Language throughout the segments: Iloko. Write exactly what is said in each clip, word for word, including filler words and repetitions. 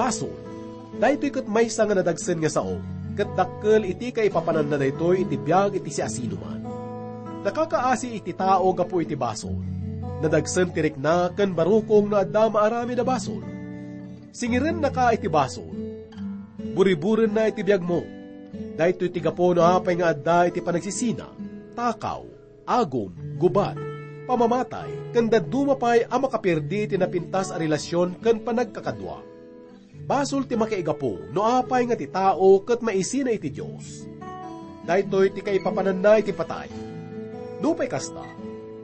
Basol. Daytoy ket maysa nga nadagsen nga sao, ket dakkel iti kaipapananna daytoy iti biag iti siasinoman. Nakakaasi iti tao gapu iti basol. Nadagsen ti rikna ken barukong no adda maaramid a basol. Singirennaka iti basol. Buriburenna iti biagmo. Daytoy ti gapu no apay nga adda iti panagsisina, takaw, agom, gubat, pamamatay, ken dadduma pay a makaperdi iti napintas a relasyon ken panagkakadua. Basol ti makaigapu no apay nga ti tao ket maisina iti Dios. Daytoy ti kaipapananna iti patay. Nupay kasta,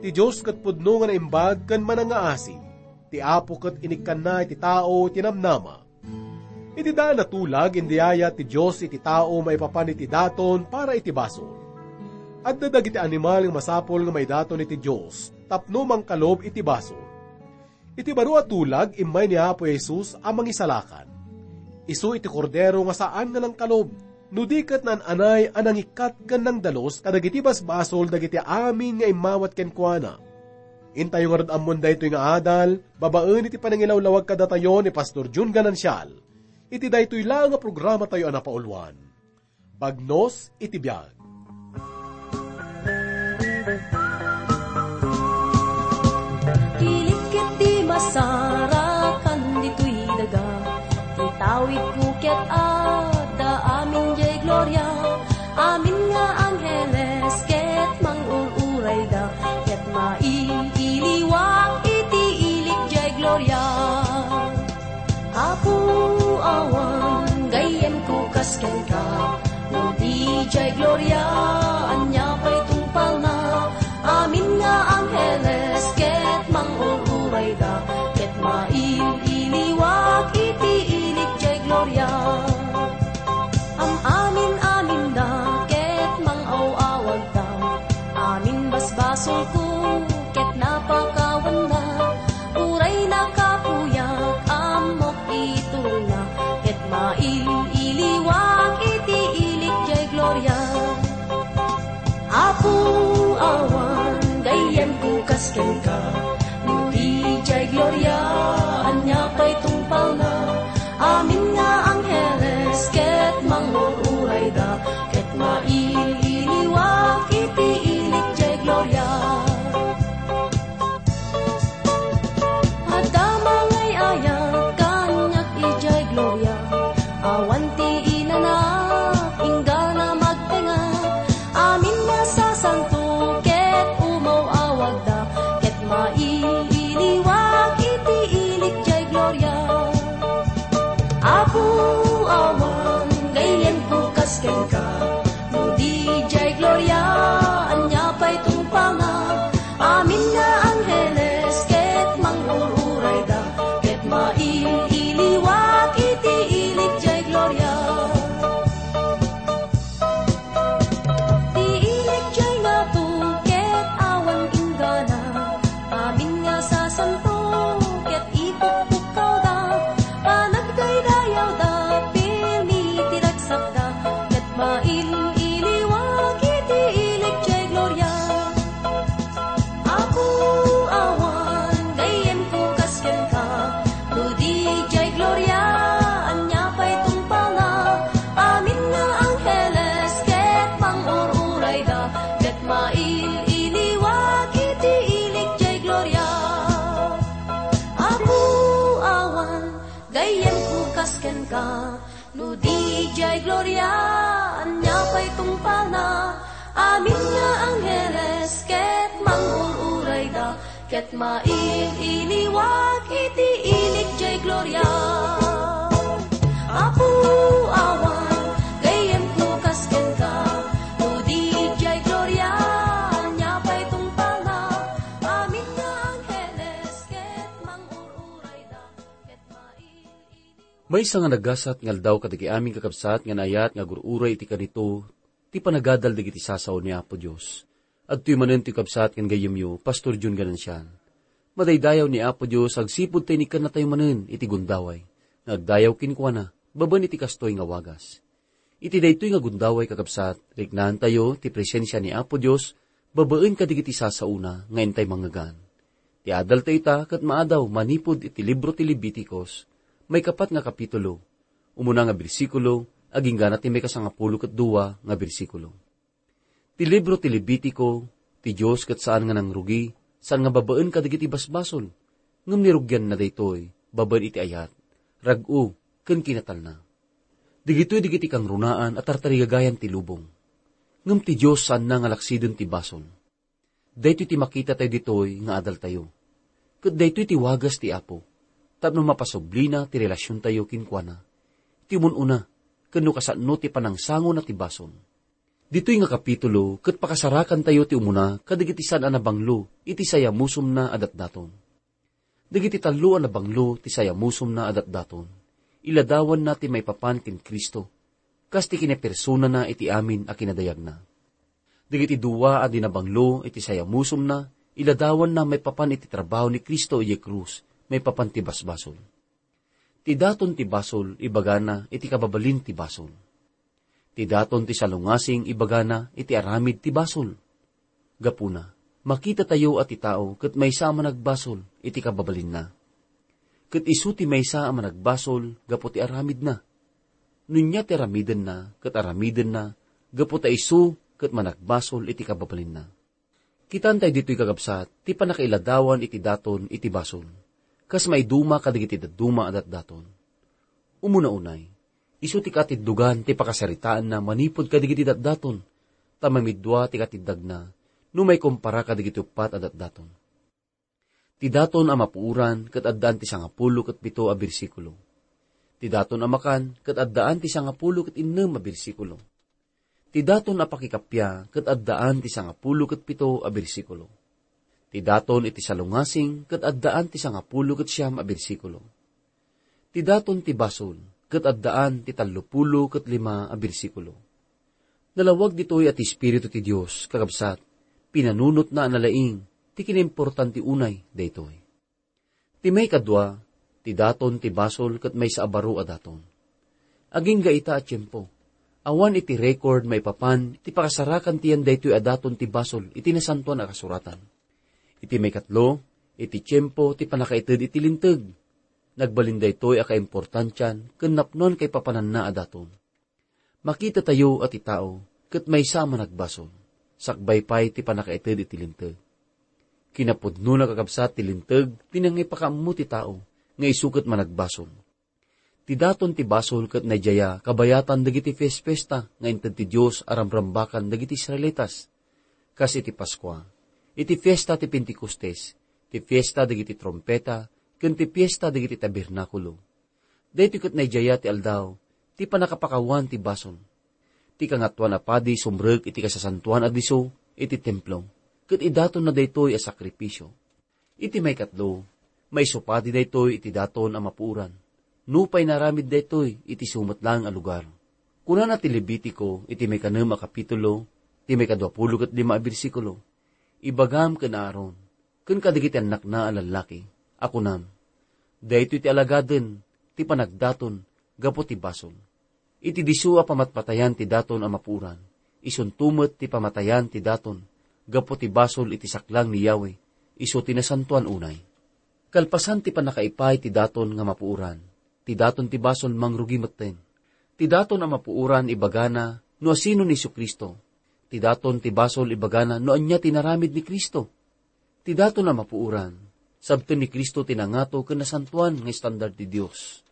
ti Dios ket pudno nga naimbag ken manangngaasi. Ti Apo ket inikkanna iti tao ti namnama. Iti daan a tulag, indayayat ti Dios iti tao maipapan iti daton para iti basol. Adda dagiti animal nga masapul nga maidaton iti Dios tapno mangkalub iti basol. Iti baro a tulag, immay ni Apo Jesus a Mangisalakan. Isu iti Kordero nga saan nga nangkalub, no di ket naan-anay a nangikkat ken nangdalus kadagiti basbasol dagiti amin nga immawat kenkuana. Intayo ngarud ammon daytoy nga adal, babaen iti panangilawlawag kadatayo ni Pastor Jun Ganancial. Iti daytoy laeng nga programatayo a napauluan, Bagnos iti Biag. Ilik ket di masarakan ditoy daga, itawidko ket adda amin jay gloria. Amin nga angheles ket mangur-urayda, ket mail-iliwak iti ilik jay gloria. Apo, awan gayyemko kas kenka, no di jay gloria, ania pay tungpalna? Amin nga angheles ket mangur-urayda, ket mail-iliwak iti ilik jay gloria. Am-amin-aminda ket mangaw-awagda, amin basbasolko ket napakawanna. Uray nakapuyak, ammok iturongna, ket mail-iliwak iti ilik jay gloria. Apo, awan gayyemko kas kenka, no di jay gloria, ania pay tungpalna? Amin nga angheles ket mangur-urayda, ket mail-iliwak iti ilik jay gloria. Adda mangay-ayat kaniak idiay gloria, awan ti inanak, inggana magtengnga. Amin nga sasanto ket umaw-awagda, ket mail-iliwak iti ilik jay gloria. Apo, awan gayyemko kas kenka, no di jay gloria, ania pay tungpalna? Amin nga angheles ket mangur-urayda, ket mail-iliwak iti ilik jay gloria. Ti ilik jay ngato ket awan inggana, amin nga sasanto ket ipukpukkawda, panagdaydayawda, pirmi ti ragsakda, ket mail-iliwak iti ilik jay gloria. Apo, awan gayyemko kas kenka, no di jay gloria, ania pay tungpalna? Amin nga angheles ket mangur-urayda, ket mail-iliwak iti ilik jay gloria. Apo, awan gayyemko kas kenka, no di jay gloria, ania pay tungpalna? Amin nga angheles ket mangur-urayda, ket mail-iliwak iti ilik jay gloria. Apo, awan gayyemko kas kenka, no di jay gloria, ania pay tungpalna? Amin nga angheles ket mangur-urayda, ket mail-iliwak. Maysa nga nagasat nga aldaw kadagiti amin kakabsat nga naayat nga agur-uray iti kanito ti panagadal dagiti sasao ni Apo Dios. Adtoy manen ti kabsat ken gayyemyo, Pastor Jun Ganancial. Madaydayaw ni Apo Dios agsipud ta inikkannatayo manen iti gundaway nga agdayaw kenkuana babaen iti kastoy nga wagas. Iti daytoy nga gundaway, kakabsat, riknaantayo ti presensia ni Apo Dios babaen kadagiti sasaona nga intay mangngegan. Ti adaltayo ita ket maadaw manipud iti libro ti Leviticos, Maikapat nga kapitulo, umuna nga bersikulo, agingga na ti maikasangapulo ket dua nga bersikulo. Ti libro ti Levitico, ti Dios ket saan nga nangrugi, saan nga babaen kadagiti basbasol, ngem nirugianna daytoy babaen iti ayat, rag-o, ken kinatalna. Dagitoy dagiti kangrunaan a tartarigagayan ti lubong. Ngem ti Dios saanna nga laksiden ti basol. Daytoy ti makitatayo ditoy nga adaltayo. Ket daytoy ti wagas ti Apo, tapno mapasublina ti relasiontayo kenkuana, ti umun-una, ken no kasano ti panangsangona ti basol. Ditoy nga kapitulo, ket pakasarakantayo ti umuna kadagiti saan a nabanglo iti sayamusomna a datdaton. Dagiti tallo a nabanglo ti sayamusomna a datdaton, iladawanna ti maipapan ken Cristo, kas ti kinapersonana iti amin a kinadayagna. Dagiti dua a di nabanglo iti sayamusomna, iladawanna maipapan iti trabaho ni Cristo idiay krus, maipapan ti basbasol. Ti daton ti basol, ibagana iti kababalin ti basol. Ti daton ti salungasing, ibagana iti aramid ti basol. Gapuna, makitatayo a ti tao ket maysa a managbasol iti kababalinna. Ket isu ti maysa a managbasol gapu ti aramidna. Nunya ti aramidenna, ket aramidenna gapu ta isu ket managbasol iti kababalinna. Kitaentayo ditoy, kakabsat, ti pannakailadawan iti daton iti basol, kas maiduma kadagiti dadduma a datdaton. Umuna unay, isu ti katiddogan ti pakasaritaanna manipud kadagiti datdaton, ta mamidua ti katiddagna no maikumpara kadagiti uppat a datdaton. Ti daton a mapuoran ket addaan ti sangapulo ket pito a bersikulo. Ti daton a makan ket addaan ti sangapulo ket innem a bersikulo. Ti daton a pakikappia ket addaan ti sangapulo ket pito a bersikulo. Ti daton iti salungasing ket addaan ti sangapulo ket siam a bersikulo. Ti daton ti basol ket addaan ti tallopulo ket lima a bersikulo. Nalawag ditoy a ti Espiritu ti Dios, kakabsat, pinanunotna a nalaing ti kinaimportante unay daytoy. Ti maikadua, ti daton ti basol ket maysa a baro a daton. Agingga ita a tiempo, awan iti record maipapan ti pakasarakan ti yan daytoy a daton ti basol iti Nasantoan a Kasuratan. Iti maikatlo, iti tiempo ti pannakaited iti Linteg. Nagbalin daytoy a kaimportantian ken napnoan kaipapananna a daton. Makitatayo a ti tao ket maysa a managbasol, sakbay pay ti pannakaited iti Linteg. Kinapudnona, kakabsat, ti Linteg ti nangipakaammo ti tao nga isu ket managbasol. Ti daton ti basol ket naydaya kabayatan dagiti fiesfiesta nga inted ti Dios a ramrambakan dagiti Israelitas, kas iti Paskua, iti fiesta ti Pentecostes, ti fiesta dagiti trumpeta, ken ti fiesta dagiti tabernakulo. Daytoy ket naydaya ti aldaw ti pannakapakawan ti basol. Ti Kangatoan a Padi sumrek iti kasasantoan a disso iti templo, ket idatonna daytoy a sakrifisio. Iti maikatlo, maisupadi daytoy iti daton a mapuoran, nupay naaramid daytoy iti isu met laeng a lugar. Kunana ti Levitico iti maikanem a kapitulo, ti maikaduapulo ket lima a bersikulo, "Ibagam ken Aaron, ken kadagiti annakna a lallaki, a kunam, 'Daytoy ti alagaden ti panagdaton gapu ti basol.'" Iti disso a pamatpatayan ti daton a mapuoran, isunto met ti pamatayan ti daton gapu ti basol iti saklang ni Yahweh, isu ti nasantoan unay. Kalpasan ti pannakaipay ti daton nga mapuoran, ti daton ti basol mangrugi metten. Ti daton a mapuoran ibagana no asino ni Jesu-Cristo. Ti daton ti basol ibagana no ania ti naramid ni Cristo. Ti daton a mapuoran, sabten ni Cristo ti nangato ken nasantoan nga estandar ti Dios.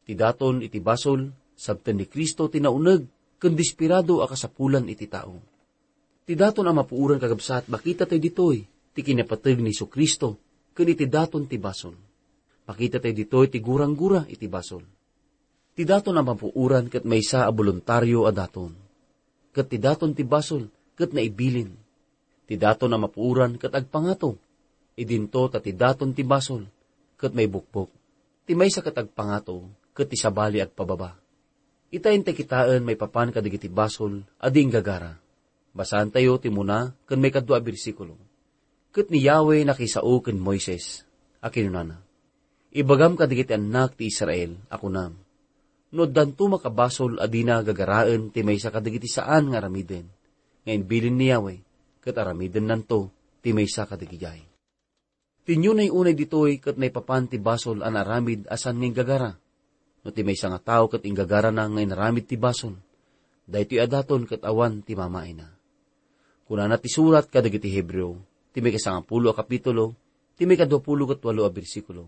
Ti daton iti basol, sabten ni Cristo ti nauneg ken desperado a kasapulan iti tao. Ti daton a mapuoran, kakabsat, makitatayo ditoy ti kinapateg ni Jesu-Cristo ken iti daton ti basol. Makitatayo ditoy ti guranggura iti basol. Ti daton a mapuoran ket maysa a boluntario a daton. Ket ti daton ti basol ket naibilin. Ti daton a mapuoran ket agpangato. Idinto ta ti daton ti basol ket maibukbok. Ti maysa ket agpangato ket ti sabali agpababa. Ita intay kitaen maipapan kadagiti basol a di inggagara. Basaantayo ti umuna ken maikadua a bersikulo. Ket ni Yahweh nakisao ken Moises, a kinunana, "Ibagam kadagiti annak ti Israel a kunam, no addanto makabasol a dina gagaraen ti maysa kadagiti saan nga aramiden nga imbilin ni Yahweh, ket aramidennanto ti maysa kadagidiay." Ti nunay unay ditoy ket maipapan ti basol a naaramid a saan nga inggagara. No ti maysa nga tao ket inggagarana nga inaramid ti basol, daytoy a daton ket awan ti mamaayna. Kunana ti surat kadagiti Hebreo, ti maikasangapulo a kapitulo, ti maikaduapulo ket walo a bersikulo,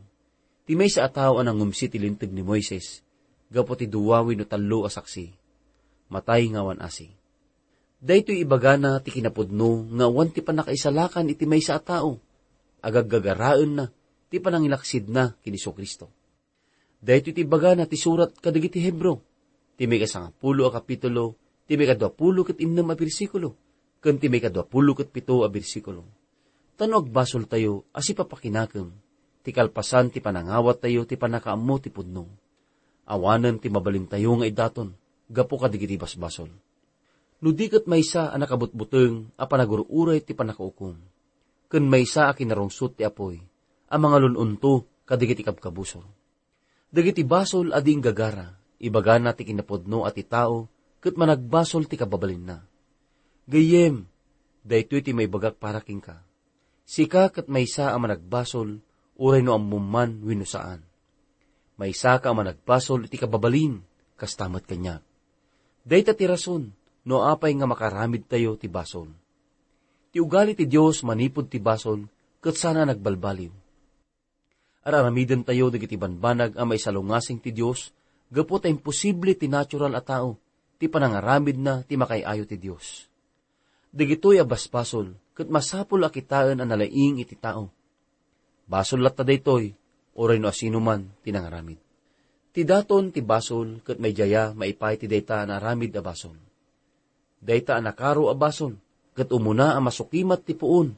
ti maysa a tao a nangumsi ti Linteg ni Moises gapu ti dua wenno tallo a saksi, matay nga awan asi. Daytoy ibagana ti kinapudno nga awan ti pannakaisalakan iti maysa a tao, agaggagaraenna ti panangilaksidna ken Jesu-Cristo. Daytoy ti ibagana ti surat kadagiti Hebreo, ti maikasangapulo a kapitulo, ti maikaduapulo ket innem a bersikulo, ken ti maikaduapulo ket pito a bersikulo. Ta no agbasoltayo a sipapakinakem, ti kalpasan ti panangawattayo ti pannakaammo ti pudno. Awanen ti mabalintayo nga idaton gapu kadagiti basbasol. No di ket maysa a nakabutbuteng a panagur-uray ti pannakaukom, ken maysa a kinarungsot ti apuy a mangalun-onto kadagiti kabkabusor. Dagiti basol a di inggagara, ibagana ti kinapudno a ti tao ket managbasol ti kababalinna. Gayyem, daytoy ti maibagak para kenka. Sika ket maysa a managbasol, uray no ammom man wenno saan. Maysaka a managbasol iti kababalin, kasta met kaniak. Dayta ti rason no apay nga makaramidtayo ti basol. Ti ugali ti Dios manipud ti basol ket saan a nagbalbaliw. Ar-aramidentayo dagiti banbanag a maisalungasing ti Dios gapu ta imposible ti natural a tao ti panangaramidna ti makaay-ayo ti Dios. Dagitoy a basbasol ket masapul a kitaen a nalaing iti tao. Basol latta daytoy, uray no asinoman ti nangaramid. Ti daton ti basol ket maidaya maipaay ti dayta a naaramid a basol. Dayta a nakaro a basol ket umuna a masukimat ti puon,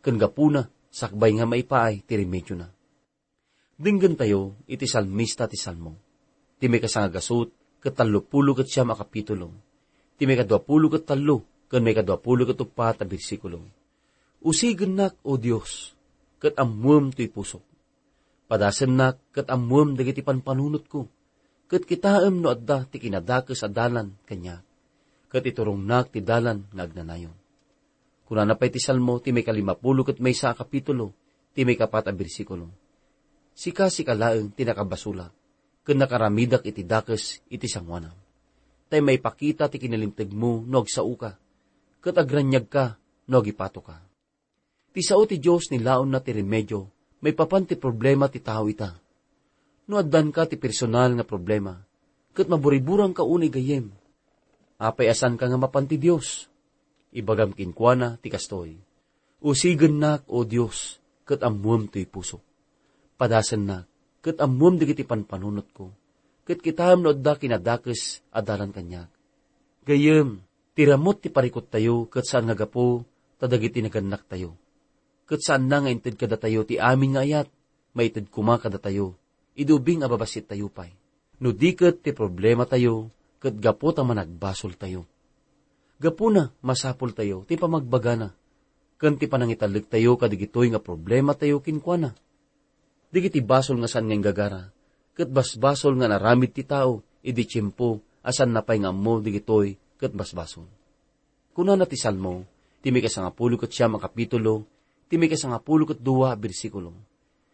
ken gapuna, sakbay nga maipaay ti remediona. Denggentayo iti salmista ti Salmo, ti maikasangagasut ket tallopulo ket siam a kapitulo, ti maikaduapulo ket tallo ken maikaduapulo ket uppat a bersikulo. Usigennak, O Dios, ket ammoem toy pusok. Padasennak ket ammoem dagiti panpanunotko, ket kitaem no adda ti kinadakes a dalan kaniak, ket iturongnak ti dalan nga agnanayon. Kunana pay ti Salmo ti maikalimapulo ket maysa a kapitulo, ti maikapat a bersikulo, "Sika, sika laeng ti nakabasolak, ken nakaramidak iti dakes iti sangoanam. Tay maipakita ti kinalintegmo no agsaoka, ket agraniagka no agipatoka." Ti sao ti Dios nilaonna ti remedio maipapan ti problema ti tao ita. No addanka ti personal nga problema, ket maburiburangka unay gayyem, apay a saanka nga mapan ti Dios? Ibagam kenkuana ti kastoy, "Usigennak, O Dios, ket ammoem toy pusok. Padasennak, ket ammoem dagiti panpanunotko, ket kitaem no adda kinadakes a dalan kaniak." Gayyem, ti ramut ti parikuttayo ket saan nga gapu ta dagiti nagannaktayo. Ket saanna nga inted kadatayo ti amin nga ayat, maited koma kadatayo idi ubing a babasittayo pay. No di ket ti problematayo ket gapu ta managbasoltayo. Gapuna, masapultayo ti pamagbagana ken ti panangitalektayo kadagitoy nga problematayo kenkuana. Dagiti basol nga saan nga inggagara, ket basbasol nga naramid ti tao idi tiempo a saanna pay nga ammo dagitoy ket basbasol. Kunana ti Salmo, ti maikasangapulo ket siam a kapitulo, ti maikasangapulo ket dua a bersikulo,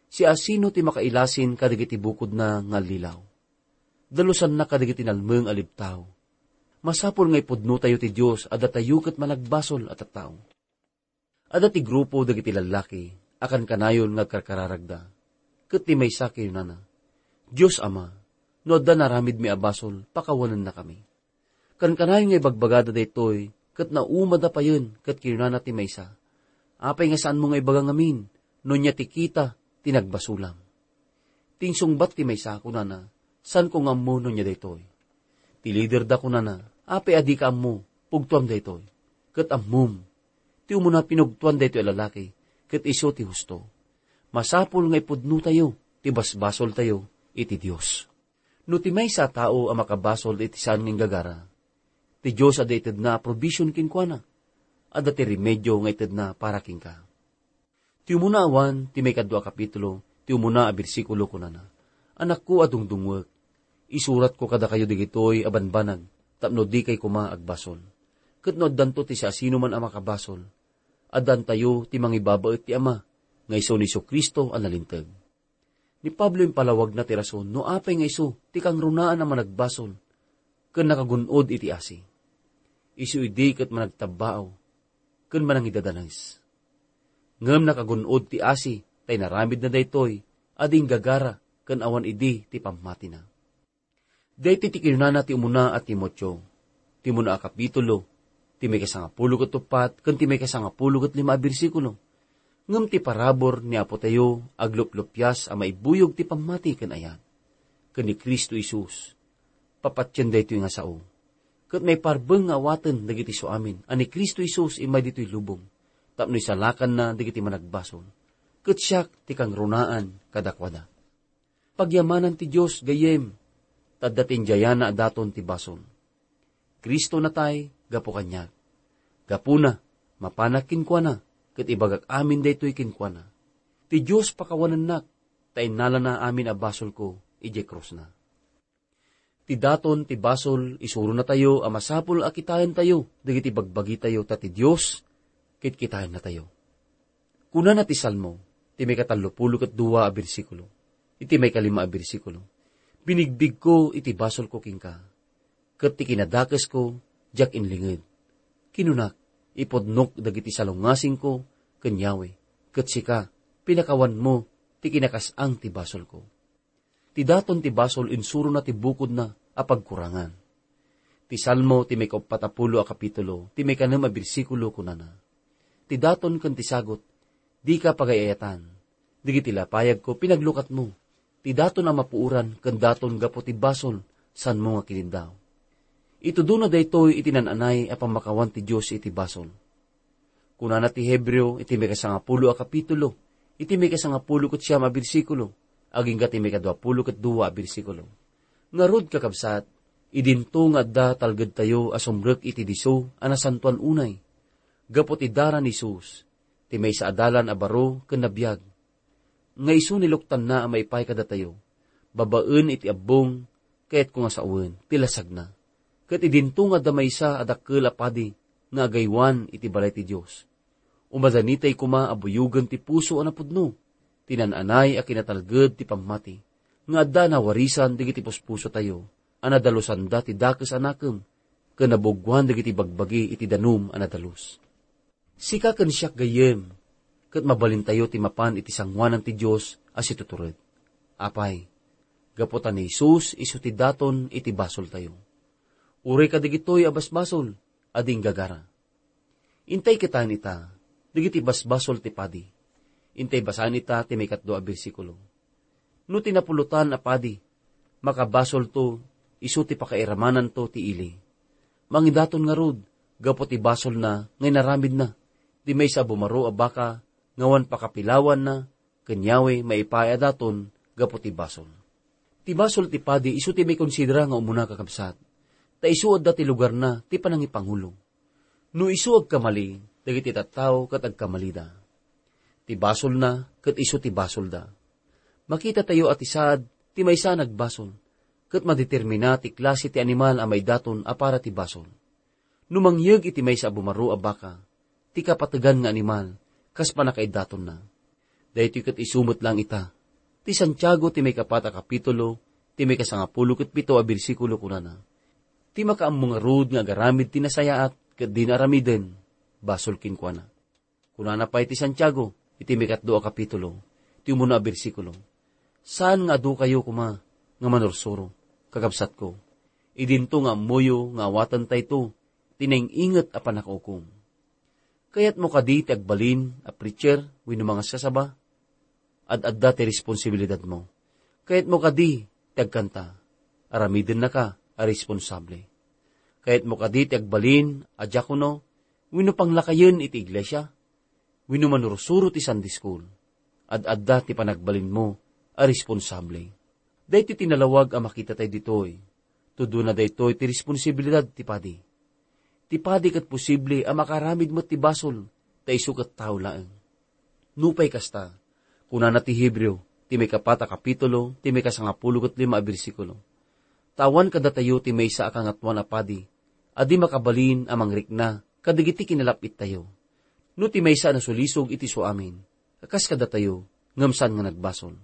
"Siasino ti makailasin kadagiti bukodna nga allilaw? Dalusanna kadagiti nalmeng a lebtao." Masapul nga ipudnotayo ti Dios a datayo ket managbasol a tattao. Adda ti grupo dagiti lallaki a kankanayon nga agkarkararagda. Ket ti maysa kinunana, "Dios Ama, no adda naramidmi a basol, pakawanennakami." Kankanayon nga ibagbagada daytoy, ket naumada payen, ket kinunana ti maysa, "Apay nga saanmo nga ibaga ngamin no ania ti kita ti nagbasolam?" Ti insungbat ti maysa, kunana, "Saanko nga ammo no ania daytoy." Ti liderda kunana, "Apay a dika ammo? Pugtoam daytoy. Ket ammom, ti umuna pinugtoan daytoy a lalaki, ket isu ti husto. Masapul nga ipudnotayo ti basbasoltayo iti Dios." No ti maysa a tao a makabasol iti saan nga inggagara, ti Dios adda itedna a provision kenkuana. Adda ti remedio nga itedna para kenka. Ti umuna awan, ti maikadua a kapitulo, ti umuna a bersikulo, kunana, "Anakko a dungdungngoek, isuratko kadakayo dagitoy a banbanag tapno dikay koma agbasol. Ket no addanto ti siasinoman a makabasol, addantayo ti mangibabaet ti Ama, nga isu ni Jesu-Cristo a nalinteg." Ni Pablo impalawagna ti rason no apay nga isu ti kangrunaan a managbasol ken nakagun-od iti asi. Isu idi ket managtabbaaw ken manangidadanes. Ngem nakagun-od ti asi ta inaramidna daytoy a di inggagara ken awan idi ti pammatina. Daytoy ti kinunana ti umuna a Timoteo, ti umuna a kapitulo, ti maikasangapulo ket uppat ken ti maikasangapulo ket lima a bersikulo. Ngem ti parabur ni Apotayo aglupluppias a maibuyog ti pammati ken ayat. Ken ni Cristo Jesus, papatien daytoy nga sao. Ket maiparbeng nga awaten dagiti suamin a ni Cristo Jesus immay ditoy lubong, tapno isalakanna dagiti managbasol. Ket siak ti kangrunaan kadakuada. Pagyamanan ti Dios, gayyem, ta adda ti indiayana a daton ti basol. Cristo natay gapu kaniak. Gapuna, mapanak kenkuana, ket ibagak amin daytoy kenkuana. Ti Dios pakawanennak, ta innalana amin a basolko idiay krusna. Ti daton ti basol, isurunatayo a masapul a kitaentayo dagiti bagbagitayo, ta ti Dios ket kitaennatayo. Kunana ti Salmo, ti maikatallopulo ket dua a bersikulo, iti maikalima a bersikulo, "Binigbigko iti basolko kenka, ket ti kinadakesko diak inlinged. Kinunak, ipudnok dagiti salungasingko ken Yahweh, ket sika, pinakawanmo ti kinakasang ti basolko." Ti daton ti basol insurona ti bukodna a pagkurangan. Ti Salmo ti maikauppat a pulo a kapitulo, ti maikanem a bersikulo kunana, "Ti daton ken ti sagut, dika pagay-ayatan. Dagiti lapayagko, pinaglukatmo. Ti daton a mapuoran ken daton gapu ti basol, saanmo nga kinindaw." Itudona daytoy iti naan-anay a pammakawan ti Dios iti basol. Kunana ti Hebreo iti maikasangapulo a kapitulo, iti maikasangapulo ket siam a bersikulo, agingga ti maikaduapulo ket dua a bersikulo. Ngarud, kakabsat, idinto nga adda talgedtayo a sumrek iti disso a nasantoan unay. Gapu ti dara ni Jesus, ti maysa a dalan a baro ken nabiag, nga isu niluktanna a maipaay kadatayo, babaen iti abbong, kayatko nga sawen, ti lasagna. Ket idinto nga adda maysa a dakkel a padi nga agaywan iti balay ti Dios. Umadanitay koma a buyogen ti puso a napudno, ti naan-anay a kinatalged ti pammati, nga adda a nawarisan dagiti puspusotayo, a nadalosanda ti dakes a nakem, ken nabuguan dagiti bagbagi iti danum a nadalus. Sika ken siak, gayyem, ket mabalintayo ti mapan iti sangoanan ti Dios a situtured. Apay, gapu ta ni Jesus isu ti daton iti basoltayo. Uray kadagitoy a basbasol a di inggagara. Intay kitaen ita, dagiti basbasol ti padi. Intay basaen ita ti maikatdua a bersikulo. No ti napulotan a padi, makabasolto, isu ti pakairamananto ti ili. Mangidaton ngarud, gapu ti basolna nga inaramidna, ti maysa a bumaro a baka nga awan pakapilawanna ken Yahweh maipaay a daton gapu ti basol. Ti basol ti padi isu ti maikonsidera nga umuna, kakabsat, ta isu adda ti lugarna ti panangipangulo. No isu agkamali, dagiti tattao ket agkamalida. Ti basolna ket isu ti basolda. Makitatayo a ti saad ti maysa a nagbasol, ket madetermina ti klase ti animal a maidaton a para ti basol. No mangyeg iti maysa a bumaro a baka, ti kapategan nga animal, kas pannakaidatonna. Daytoy ket isu met laeng ita. Ti Santiago ti maikapat a kapitulo, ti maikasangapulo ket pito a bersikulo kunana, "Ti makaammo ngarud nga agaramid ti nasayaat ket dina aramiden, basol kenkuana." Kunana pay ti Santiago iti maikatlo a kapitulo, ti umuna a bersikulo, "Saan nga adu kayo koma nga manursuro, kakabsatko, idinto nga ammoyo nga awatentayto ti naing-inget a pannakaukom." Kayatmo kadi ti agbalin a preacher wenno mangaskasaba? Ad-adda ti responsibilidadmo. Kayatmo kadi ti agkanta? Aramidennaka a responsable. Kayatmo kadi ti agbalin a diakono wenno panglakayen iti iglesia wenno manursuro ti Sunday school? Ad-adda ti panagbalinmo a responsable. Daytoy ti nalawag a makitatayo ditoy. Tudona daytoy ti responsibilidad ti padi. Ti padi ket posible a makaaramid met ti basol, ta isu ket tao laeng. Nupay kasta, kunana ti Hebreo, ti maikapat a kapitulo, ti maikasangapulo ket lima a bersikulo, "Ta awan kadatayo ti maysa a kangatoan a padi a di makabalin a mangrikna kadagiti kinalap-ittayo. No ti maysa a nasulisog iti suamin, kas kadatayo, ngem saan nga nagbasol."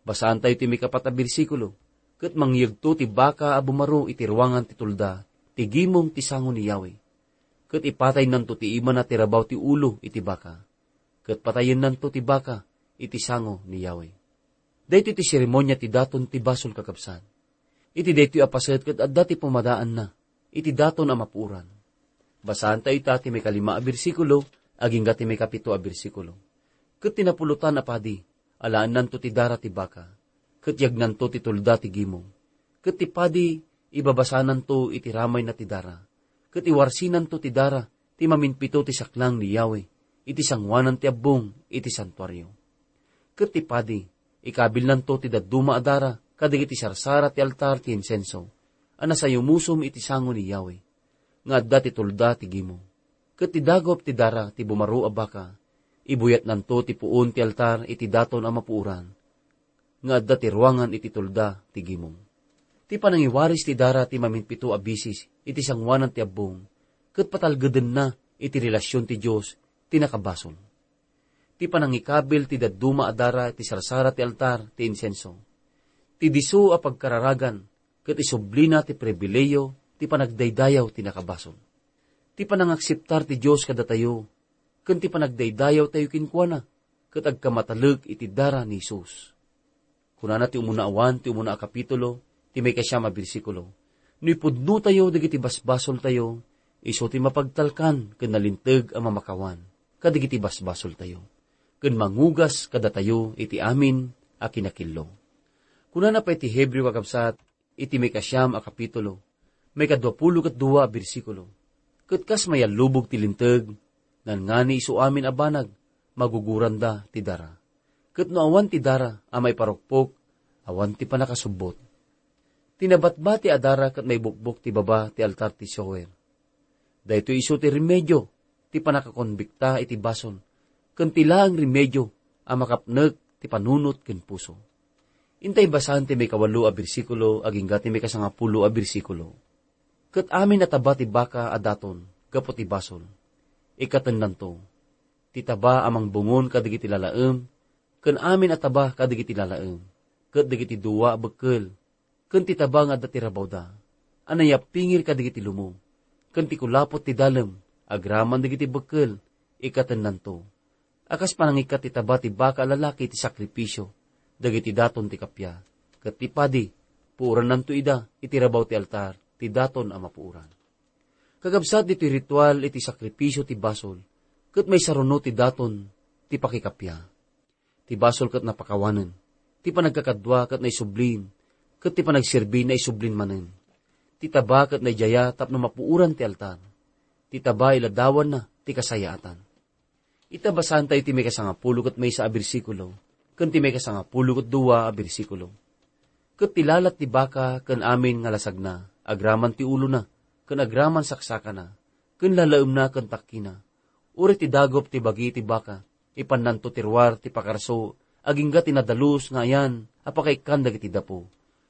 Basaantayo ti maikapat a bersikulo, ket mangyegto ti baka a bumaro iti ruangan ti tulda, ti gimong ti sango ni Yahweh. Ket ipataynanto ti imana ti rabaw ti ulo iti baka. Ket patayennanto ti baka iti sango ni Yahweh. Daytoy ti seremonia ti daton ti basol, kakabsat. Iti daytoy a paset ket adda ti pumadaanna iti daton a mapuoran. Basaantayo ita ti maikalima a bersikulo agingga ti maikapito a bersikulo. Ket ti napulotan a padi, alaennanto ti dara ti baka, ket yagnanto ti tulda ti gimong. Ket ti padi, ibabasananto iti ramayna ti dara, ket iwarsinanto ti dara ti maminpito ti saklang ni Yahweh iti sangoanan ti abbong iti santuario. Ket ti padi, ikabilnanto ti dadduma a dara kadagiti sarsara ti altar ti insenso a nasayumusom iti sango ni Yahweh, nga adda ti tulda ti gimong. Ket ti dagup ti dara ti bumaro a baka, ibuyatnanto ti puon ti altar iti daton a mapuoran, nga adda ti ruangan iti tulda ti gimong. Ti panangiwaris ti dara ti maminpito a bisis iti sangoanan ti abbong, ket patalgedenna iti relasion ti Dios ti nakabasol. Ti panangikabil ti dadduma a dara iti sarsara ti altar ti insenso, ti disso a pagkararagan, ket isublina ti pribilehiyo ti panagdaydayaw ti nakabasol. Ti panangakseptar ti Dios kadatayo, ken ti panagdaydayawtayo kenkuana, ket agkamatalek iti dara ni Jesus. Kunana ti umuna a Juan, ti umuna a kapitulo, ti maikasiam a bersikulo, "No ipudnotayo dagiti basbasoltayo, isu ti mapagtalkan ken nalinteg a mamakawan kadagiti basbasoltayo, ken mangugas kadatayo iti amin a kinakillo." Kunana pay ti Hebreo, kakabsat, iti maikasiam a kapitulo, maikadua pulo ket dua a bersikulo, "Ket kas mayallubog ti linteg, nangngani isu amin a banag, maguguranda ti dara. Ket no awan ti dara a maiparukpok, awan ti pannakasubbot." Ti nabatbati a dara ket maibukbok ti baba ti altar ti Zohar. Daytoy isu ti remedio ti pannakakonbikta iti basol, ken ti laeng remedio a makapnek ti panunot ken puso. Intay basaen ti maikawalo a bersikulo agingga ti maikasangapulo a bersikulo. "Ket amin a taba ti baka a daton gapu ti basol, ikkatennanto. Ti taba a mangbungon kadagiti lalaem, ken amin a taba kadagiti lalaem, ket dagiti dua a bekkel, ken ti taba nga adda ti rabawda, a nayappingir kadagiti lumo, ken ti kulapot ti dalem, agraman dagiti bekkel, ikkatennanto. A kas panangikkat ti taba ti baka a lalaki ti sakrifisio dagiti daton ti kappia, ket ti padi, puorannanto ida iti rabaw ti altar ti daton a mapuoran." Kakabsat, ditoy ritual iti sakrifisio ti basol, ket maisaruno ti daton ti pakikappia. Ti basol ket napakawanen, ti panagkakadua ket naisublin, ket ti panagserbi naisublin manen. Ti taba ket naidiaya tapno mapuoran ti altar. Ti taba iladawanna ti kasayaatan. Ita, basaantayo ti maikasangapulo ket maysa a bersikulo, ken ti maikasangapulo ket dua a bersikulo. "Ket ti lalat ti baka ken amin nga lasagna, agraman ti ulona, ken agraman saksakana, ken lalaemna ken takkina, uray ti dagup ti bagi ti baka, ipannanto ti ruar ti pakarso agingga ti nadalus nga ayan a pakaikkan dagiti dapo,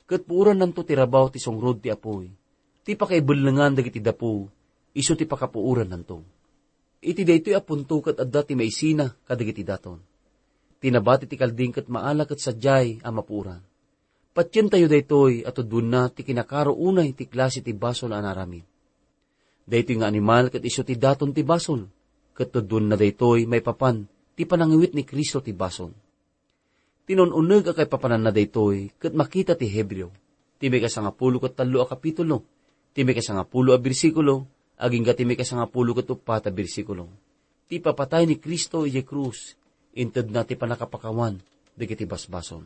ket puorannanto ti rabaw ti sungrod ti apuy. Ti pakaibellengan dagiti dapo, isu ti pakapuorannanto." Iti daytoy a punto ket adda ti maisina kadagiti daton. Ti nabati ti kalding ket maala ket sadiay a mapuoran. Patientayo daytoy a tudonna ti kinakaro unay ti klase ti basol a naaramid. Daytoy nga animal ket isu ti daton ti basol, ket tudonna daytoy maipapan ti panangiwit ni Cristo ti basol. Tinun-uneg a kaipapananna daytoy ket makita ti Hebreo, ti maikasangapulo ket tallo a kapitulo, ti maikasangapulo a bersikulo, agingga ti maikasangapulo ket uppat a bersikulo. Ti ipapatay ni Cristo idiay krus, intedna ti pannakapakawan dagiti basbasol.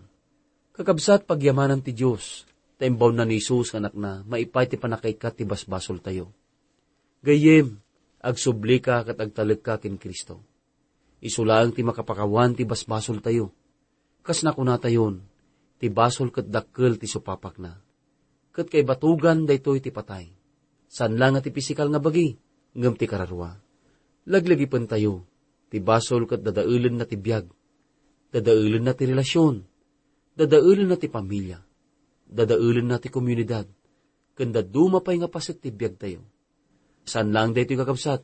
Kakabsat, pagyamanan ti Dios, ta imbaonna ni Jesus nga Anakna maipaay ti pannakaikkat ti basbasoltayo. Gayyem, agsublika ket agtalekka ken Cristo. Isu laeng ti makapakawan ti basbasoltayo. Kas nakunatayon, ti basol ket dakkel ti supapakna. Ket kaibatugan daytoy ti patay. Saan la nga ti pisikal nga bagi, ngem ti kararua. Laglagipentayo, ti basol ket dadaelenna ti biag. Dadaelenna ti relasion. Dadaelenna ti pamilia. Dadaelenna ti komunidad. Ken dadduma pay nga paset ti biagtayo. Saan laeng daytoy, kakabsat.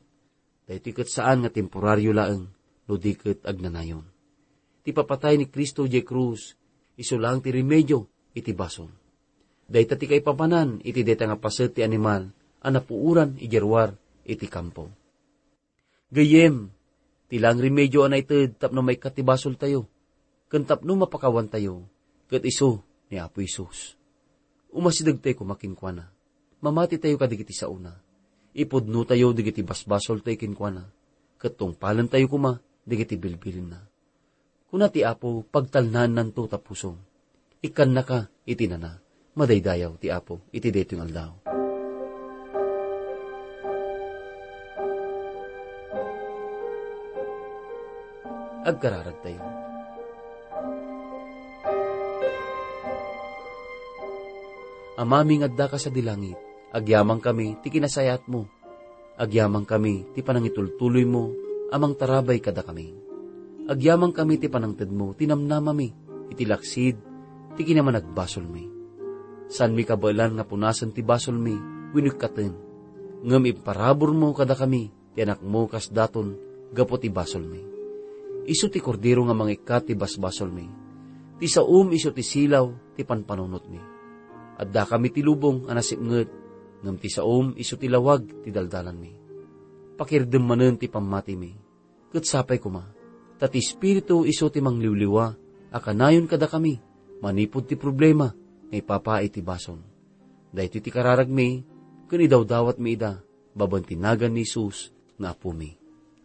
Daytoy ket saan nga temporario laeng, no di ket agnanayon. Ti papatay ni Cristo idiay krus, Isu laeng ti remedio iti basol. Dayta ti kaipapanan iti dayta nga paset ti animal a napuoran idiay ruar iti kampo. Gayyem, ti laeng remedio a naited tapno maikkat ti basoltayo, ken tapno mapakawantayo, ket isu ni Apo Jesus. Umasidegtayo koma kenkuana. Mamatitayo kadagiti saona. Ipudnotayo dagiti basbasoltayo kenkuana, ket tungpalentayo koma dagiti bilbilinna. Kuna ti Apo, pagtalnaennanto ta pusom. Ikkannaka iti nana. Madaydayaw ti Apo iti daytoy nga aldaw. Agkararagtayo. Amami nga addaka sadi langit, agyamankami ti kinasayaatmo. Agyamankami ti panangitultuloymo a mangtarabay kadakami. Agyamankami ti panangtedmo ti namnamami iti laksid ti kinamanagbasolmi. Saanmi kabaelan nga punasen ti basolmi wenno ikkaten, ngem imparaburmo kadakami ti Anakmo kas daton gapu ti basolmi. Isu ti Kordero nga mangikkat ti basbasolmi. Ti saom isu ti silaw ti panpanunotmi. Addakami ti lubong a nasipnget, ngem ti saom isu ti lawag ti daldalanmi. Pakirdem manen ti pammatimi, ket sapay koma, ta ti Espiritu isu ti mangliwliwa a kanayon kadakami manipud ti problema nga ipapaay ti basol. Daytoy ti kararagmi, ken idawdawatmi ida babaen ti nagan ni Jesus nga Apomi.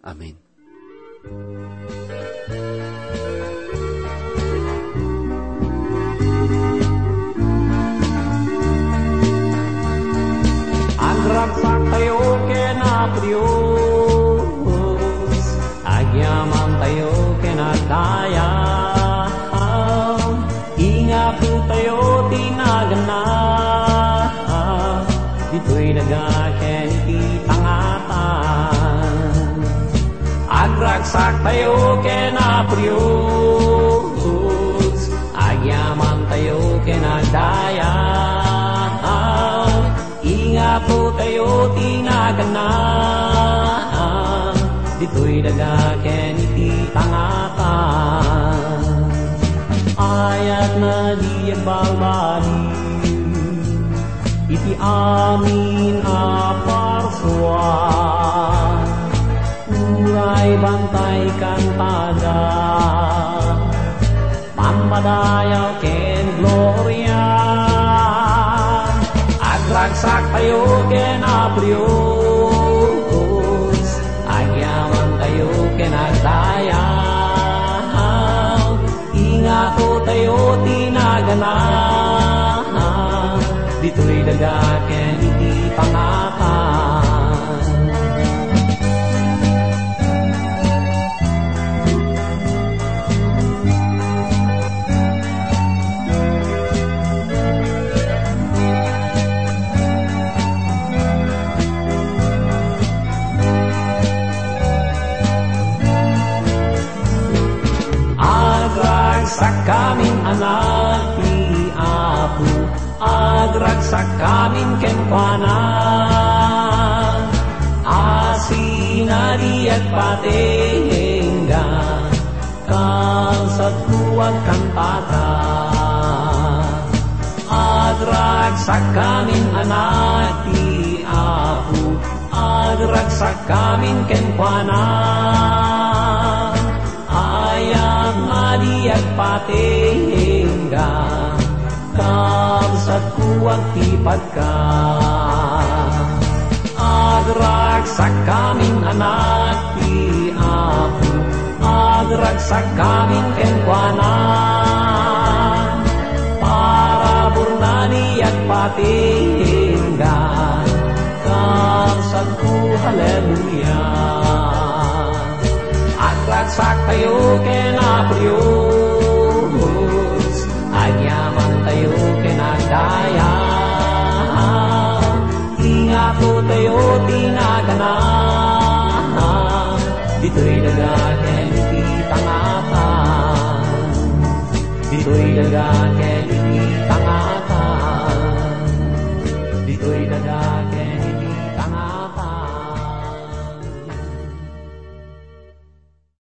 Amen. Agragsaktayo ken Apo Dios, agyamantayo ken agdayag. Ingatotayo ti naganna, ditoy daga ken iti pangatan. Agragsaktayo ken Apo Dios, agyamantayo ken agdayag. Ingatotayo ti naganna, ditoy daga ken iti pangatan. Ayat na di agbalbaliw iti amin a parsua. Uray bantay kantada, pampadayaw ken gloria. Agragsaktayo ken Apo Dios, agyamantayo ken agdayag. Ingatotayo ti naganna, ditoy daga ken iti pangatan. Agragsakkamin anak ti Apo, agragsakkamin kenkuana. Asina di agpatengga, kabsatko, agkantaka. Agragsakkamin anak ti Apo, agragsakkamin kenkuana. Ayat nga di agpatengga, kabsatko, agtipadka. Agragsakkamin anak ti Apo, agragsakkamin kenkuana. Paraburna di agpatengga, kabsatko, haleluya. Agragsaktayo ken Apo Dios, agyamantayo ken agdayag. Ingatotayo ti naganna, ditoy daga ken iti pangatan. Ditoy daga ken